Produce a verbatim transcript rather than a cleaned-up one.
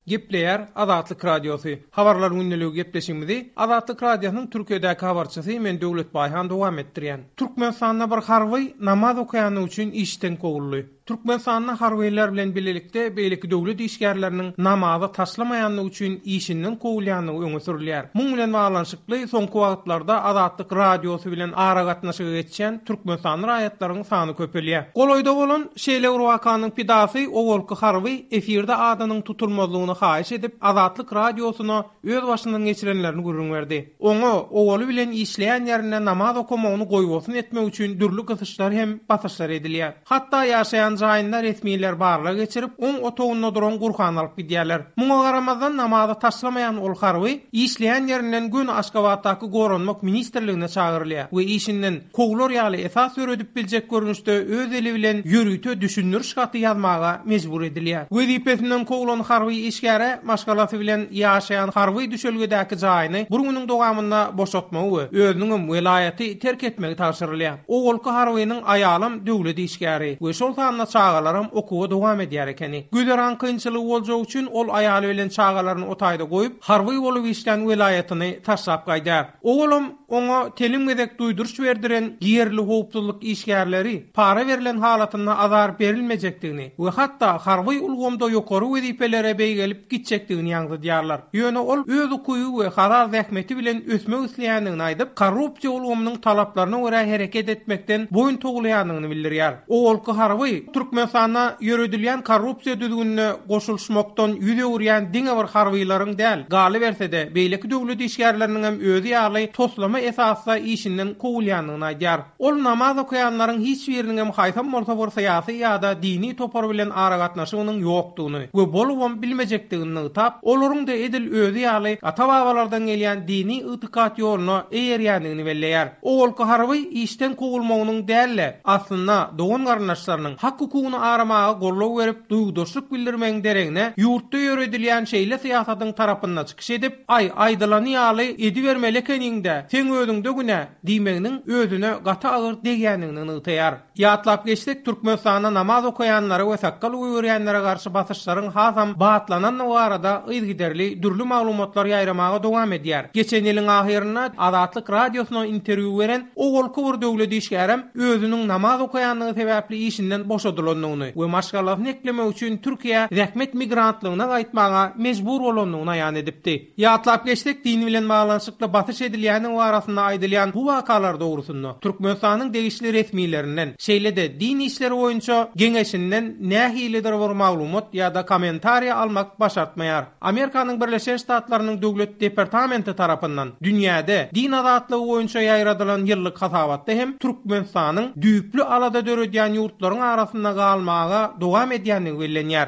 Gepleýär Azatlyk Radiosy. Habarlar gündeligi gepleşigimizi Azatlyk Radiosynyň Türkiýedäki habarçysy men Döwlet Baýhan dowam etdirýän. Türkmenistanda bir harby namaz okaýany üçin işden kowuldy. Türkmenistanda harbylar bilen birlikde beýleki döwlet işgärleriniň namazy taşlamaýanlygy üçin işinden kowulýanlygy öňe sürülýär. Muň bilen baglanyşykly soňky wagtlarda Azatlyk Radiosy bilen aragatnaşyga geçýän Türkmenistan raýatlaryň sany köpelýär. Golaýda bolan şeýle bir wakanyň pidasy owalky harby efirde adynyň tutulmazlygyny haýyş edip Azatlyk Radiosyna öz başyndan geçirenlerini gürrüň berdi. Oňa owaly bilen işleýän ýerinde namaz okamagyny goýbolsun etmek üçin dürli gysyşlar hem basyşlar edilýär. Hatda ýaşaýan jaýynda resmiler barlag geçirip, oň otagynda duran Gurhan alyp gidýärler. Muňa garamazdan namazy taşlamaýan ol harby işleýän ýerinden gün Aşgabatdaky Goranmak ministrligine çagyrylýar we işinden kowlar ýaly esas öwredip biljek görnüşde öz eli bilen ýörite düşündiriş haty ýazmaga mejbur edilýär. Wezipesinden kowlan harby işgäre maşgalasy bilen ýaşaýan harby düşelgedäki jaýyny bir günüň dowamynda boşatmagy we özüniň welaýaty terk etmegi tabşyrylýar. Owalky harbynyň aýalym döwlet işgäri we şol sanda çagalaram okuwa dowam edýär ekeni. Güzeran kynçylygy boljagy üçin ol aýaly bilen çagalaryny otaýda goýup, harby bolup işlän welaýatyny taşlap gaýdar. Owalam oňa telim gezek duýduryş berdiren ýerli howpsuzlyk işgärleri para berlen halatynda azar berilmejekdigini we hatda harby ulgamda ýokary wezipelere beýgelip gitjekdigini ýaňzydýarlar. Ýöne ol öz okuwy we halal zähmeti bilen ösmek isleýändigini aýdyp, korrupsiýa ulgamynyň talaplaryna görä hereket etmekden boýun towlaýandygyny bildirýär. Owalky harby Türkmenistanda ýöredilýän korrupsiýa düzgünine goşulyşmakdan ýüz öwürýän diňe bir harbylaryň däl, galyberse-de beýleki döwlet işgärleriniň hem özi ýaly toslama esasda işinden kowulýandygyny aýdýar. Ol namaz okaýanlaryň hiç biriniň hem haýsam bolsa bir syýasy ýa-da dini topar bilen aragatnaşygynyň ýokdugyny we bolubam bilmejekdigini nygtap, olaryň da edil özi ýaly ata-babalardan gelýän dini itikat ýoluna eýerýändigini belleýär. Owalky harby işden kowulmagynyň däl-de, aslynda dogan garyndaşlarynyň hak hukugyny aramaga gollag berip, duýgudaşlyk bildirmegiň deregine ýurtda ýöredilýän şeýle syýasatyň tarapynda çykyş edip, aý aýdylany ýaly edibermeli ekeniňde, seň özüňde günä diýmeginiň özüne gaty agyr degýändigini nygtaýar. Ýatlap geçsek, Türkmenistanda namaz okaýanlara we sakkal goýberýänlere garşy basyşlaryň hasam batlanandygy barada yzygiderli dürli maglumatlar ýaýramaga dowam edýär. Geçen ýylyň ahyrynda Azatlyk Radiosyna interwýu beren owalky bir döwlet işgärem özüniň namaz okaýandygy sebäpli işinden boşadylandygyny we maşgalasyny eklemek üçin Türkiýä zähmet migrantlygyna gaýtmaga mejbur bolandygyny aýan edipdi. Ýatlap geçsek, din bilen baglanyşykly basyş edilýäniň arasynda aýdylýan bu wakalar dogrusynda Türkmenistanyň degişli resmilerinden, şeýle-de din işleri boýunça geňeşinden nähilidir bir maglumat ýa-da kommentariýa almak başartmaýar. Amerikanyň Birleşen Ştatlarynyň Döwlet Departamenti tarapyndan dünýäde din azatlygy boýunça ýaýradylan ýyllyk hasabatda hem Türkmenistanyň düýpli alada döredýän ýurtlaryň arasynda galmaga dowam edýändigi bellenýär.